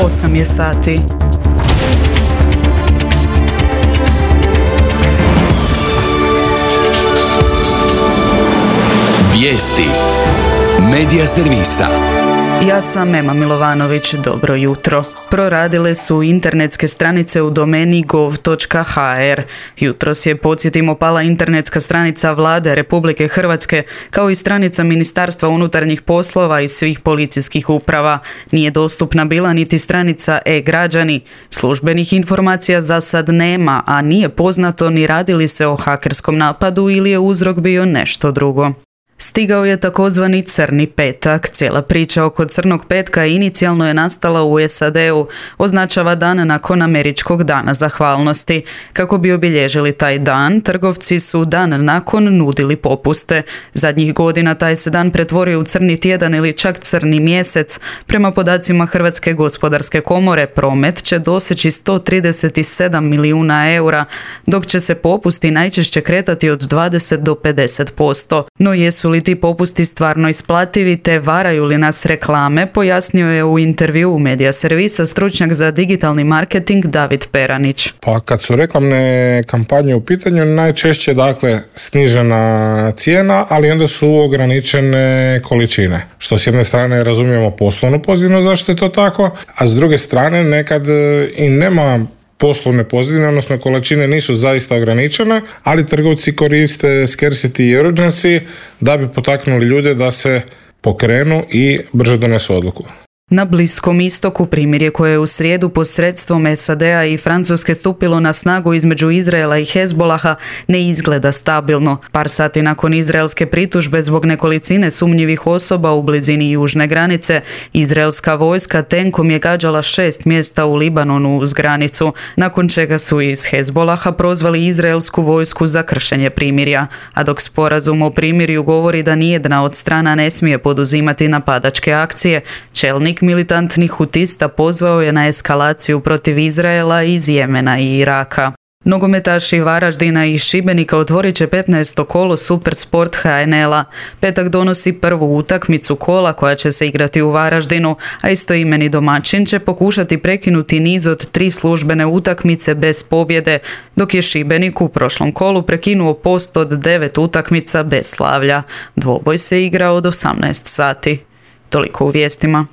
8 je sati. Vijesti Medija servisa. Ja sam Ema Milovanović, dobro jutro. Proradile su internetske stranice u domeni gov.hr. Jutros je, podsjetimo, pala internetska stranica Vlade Republike Hrvatske, kao i stranica Ministarstva unutarnjih poslova i svih policijskih uprava. Nije dostupna bila niti stranica e-građani. Službenih informacija za sad nema, a nije poznato ni radi li se o hakerskom napadu ili je uzrok bio nešto drugo. Stigao je takozvani crni petak. Cijela priča oko crnog petka inicijalno je nastala u SAD-u. Označava dan nakon američkog dana zahvalnosti. Kako bi obilježili taj dan, trgovci su dan nakon nudili popuste. Zadnjih godina taj se dan pretvorio u crni tjedan ili čak crni mjesec. Prema podacima Hrvatske gospodarske komore, promet će doseći 137 milijuna eura, dok će se popusti najčešće kretati od 20 do 50%. No jesu li ti popusti stvarno isplativi te varaju li nas reklame, pojasnio je u intervjuu u Medija servisa stručnjak za digitalni marketing David Peranić. Pa kad su reklamne kampanje u pitanju, najčešće snižena cijena, ali onda su ograničene količine. Što s jedne strane razumijemo poslovno pozitivno zašto je to tako, a s druge strane nekad i nema poslovne pozadine, odnosno količine nisu zaista ograničene, ali trgovci koriste scarcity i urgency da bi potaknuli ljude da se pokrenu i brže donesu odluku. Na Bliskom istoku primirje koje je u srijedu posredstvom SAD-a i Francuske stupilo na snagu između Izraela i Hezbolaha ne izgleda stabilno. Par sati nakon izraelske pritužbe zbog nekolicine sumnjivih osoba u blizini južne granice, izraelska vojska tenkom je gađala 6 mjesta u Libanonu uz granicu, nakon čega su iz Hezbolaha prozvali izraelsku vojsku za kršenje primirja. A dok sporazum o primirju govori da nijedna od strana ne smije poduzimati napadačke akcije, čelnik militantnih hutista pozvao je na eskalaciju protiv Izraela iz Jemena i Iraka. Nogometaši Varaždina i Šibenika otvorit će 15. kolo Supersport HNL-a. Petak donosi prvu utakmicu kola koja će se igrati u Varaždinu, a istoimeni domaćin će pokušati prekinuti niz od 3 službene utakmice bez pobjede, dok je Šibenik u prošlom kolu prekinuo post od 9 utakmica bez slavlja. Dvoboj se igra od 18 sati. Toliko u vijestima.